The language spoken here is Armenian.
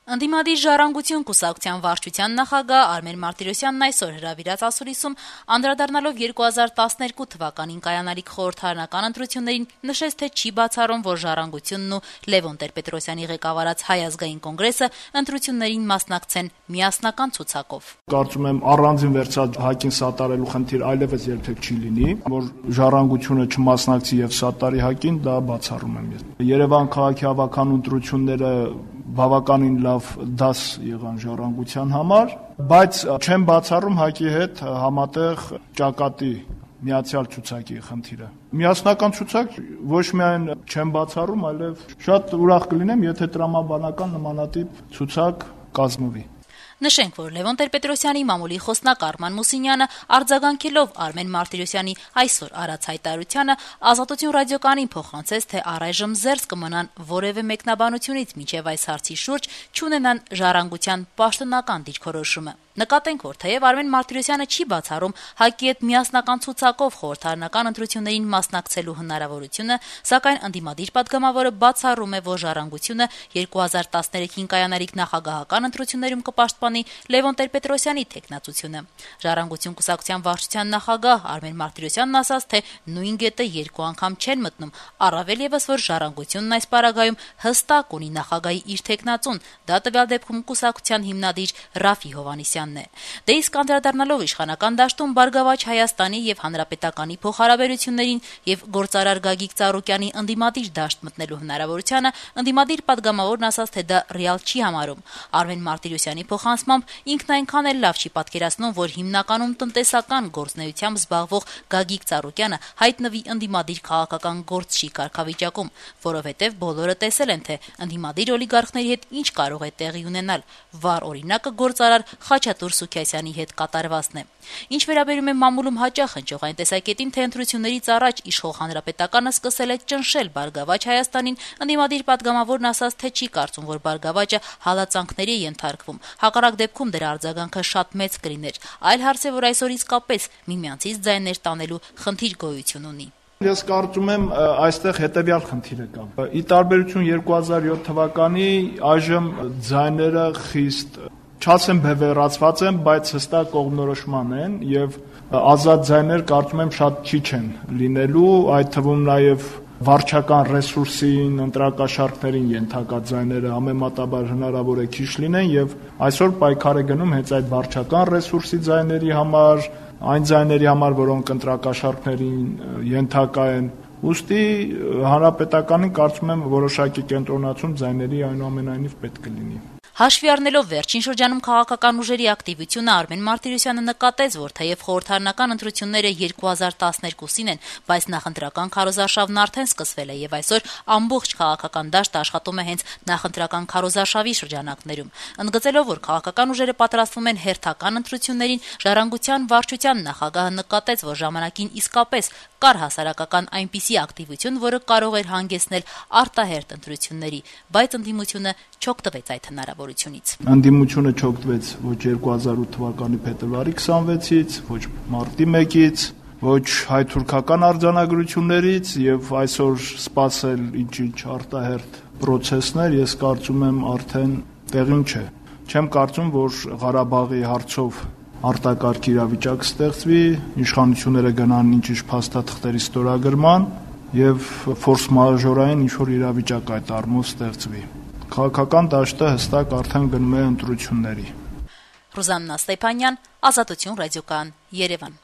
Ընդդիմադիր «Ժառանգություն» կուսակցության վարչության նախագահ Արմեն Մարտիրոսյանն այսօր հրավիրած ասուլիսում անդրադառնալով 2012 թվականին կայանալիք խորհրդարանական ընտրություններին նշեց, թե չի բացառում, որ «Ժառանգությունն» ու Լևոն Տեր-Պետրոսյանի ղեկավարած Հայ ազգային կոնգրեսը ընտրություններին մասնակցեն միասնական ցուցակով։ Կարծում եմ առանձին վերցահակին սատարելու խնդիր այլևս երբեք չի լինի, որ «Ժառանգությունը» չմասնակցի եւ սատարի հակին, դա բացառում եմ ես։ Երևան քաղաքի հավաքանու ընտրությունները բավականին լավ դաս եղան «Ժառանգության» համար, բայց չեմ բացառում ՀԱԿ-ի հետ համատեղ ճակատի միացյալ ցուցակի խնդիրը։ Միասնական ցուցակ ոչ միայն չեմ բացառում, այլև շատ ուրախ կլինեմ, եթե տրամաբանական նմանատիպ ցուցակ կազմվի։ Նշենք, որ Լևոն Տեր-Պետրոսյանի մամուլի խոսնակ Արման Մուսինյանը արձագանքելով Արմեն Մարտիրոսյանի այսօր արած հայտարարությանը Ազատություն ռադիոկայանին փոխանցեց, թե առայժմ զերծ կմնան որևէ մեկնաբանությունից մինչև այս հարցի շուրջ չունենան «Ժառանգության» պաշտոնական դիրքորոշումը։ Նկատենք, որ թեև Արմեն Մարտիրոսյանը չի բացառում ՀԱԿ-ի հետ միասնական ցուցակով խորհրդարանական ընտրություններին մասնակցելու հնարավորությունը, սակայն ընդդիմադիր պատգամավորը բացառում է, որ «Ժառանգությունը» 2013-ին կայանալիք նախագահական ընտրություններում կպաշտպանի Լևոն Տեր-Պետրոսյանի թեկնածությունը։ «Ժառանգություն» կուսակցության վարչության նախագահ Արմեն Մարտիրոսյանն ասաց, թե նույն գետը երկու անգամ չեն մտնում, առավել ևս, որ «Ժառանգությունն» այս պարագայում հստակ ունի նախագահի իր թեկնածուն, դա տվյալ դեպքում կուսակցության հիմնադիր Ռաֆի Հովհաննիսյանն է։ Դե իսկ անդրադառնալով իշխանական դաշտում «Բարգավաճ Հայաստանի» եւ Հանրապետականի փոխհարաբերություններին եւ գործարար Գագիկ Ծառուկյանի ընդդիմադիր դաշտ մտնելու հնարավորությանը, ընդդիմադիր պատգամավորն ասաց, թե դա ռեալ չի համարում։ Արմեն Մարտիրոսյանի փոխանցմամբ ինքն այնքան էլ լավ չի պատկերացնում, որ հիմնականում տնտեսական գործունեությամբ զբաղվող Գագիկ Ծառուկյանը հայտնվի ընդդիմադիր քաղաքական գործչի կարգավիճակում, որովհետեւ բոլորը տեսել են, թե ընդդիմադիր օլիգարխների հետ ինչ կարող է տեղի ունենալ։ Վառ օրինակը գործարար Խաչատուր Սուքիասյանի հետ կատարվածն է։ Ինչ վերաբերում է մամուլում հաճախ հնչող այն տեսակետին, թե ընտրություններից առաջ իշխող Հանրապետականը սկսել է ճնշել «Բարգավաճ Հայաստանին», ընդդիմադիր պատգամավորն ասաց, թե չի կարծում, որ «Բարգավաճը» հալածանքների է ենթարկվում։ Հակառակ դեպքում դրա արձագանքը շատ մեծ կլիներ։ Այլ հարց է, որ այսօր իսկապես միմյանցից ձայներ տանելու խնդիր գոյություն ունի։ Ես կարծում եմ այստեղ հետևյալ խնդիրը կա։ Ի տարբերություն 2007 թվականի այժմ ձայները խիստ չասեմ բևեռացված են, բայց հստակ կողմնորոշման են եւ ազատ ձայներ կարծում եմ շատ քիչ են լինելու, այդ թվում նաեւ վարչական ռեսուրսին, ընտրակաշառքներին ենթակա ձայները համեմատաբար հնարավոր է քիչ լինեն եւ այսօր պայքար է գնում հենց այդ վարչական ռեսուրսի ձայների համար, այն ձայների համար, որոնք ընտրակաշառքներին ենթակա են։ Ուստի հանրապետականին կարծում եմ որոշակի կենտրոնացում ձայների այնուամենայնիվ պետք է լինի։ Հաշվի առնելով վերջին շրջանում քաղաքական ուժերի ակտիվությունը, Արմեն Մարտիրոսյանը նկատեց, որ թեև խորհրդարանական ընտրությունները 2012-ին են, բայց նախընտրական քարոզարշավն արդեն սկսվել է եւ այսօր ամբողջ քաղաքական դաշտը աշխատում է հենց նախընտրական քարոզարշավի շրջանակներում։ Ընդգծելով, որ քաղաքական ուժերը պատրաստվում են հերթական ընտրություններին, «Ժառանգության» վարչության նախագահը նկատեց, որ ժամանակին իսկապես կար հասարակական այնպիսի ակտիվություն, որը կարող էր հանգեցնել արտահերթ ընտրությունների, բայց ընդդիմությունը չօգտվեց այդ հնարավորությունից։ Ընդդիմությունը չօգտվեց ոչ 2008 թվականի փետրվարի 26-ից, ոչ մարտի 1-ից, ոչ հայ-թուրքական արձանագրություններից եւ այսօր սпасել ինչ-ինչ արտահերթ process-ներ, ես կարծում եմ արդեն տեղին չէ։ Չեմ կարծում, որ Ղարաբաղի հարցով արտակարգ իրավիճակ ստեղծվի, իշխանությունները գնան ինչ-ինչ փաստաթղթերի ստորագրման եւ ֆորս մաժորային ինչ-որ իրավիճակ այդ առումով ստեղծվի։ Քաղաքական դաշտը հստակ արդեն գնում է ընտրությունների։ Ռուզաննա Ստեփանյան, Ազատություն ռադիոկայան, Երևան։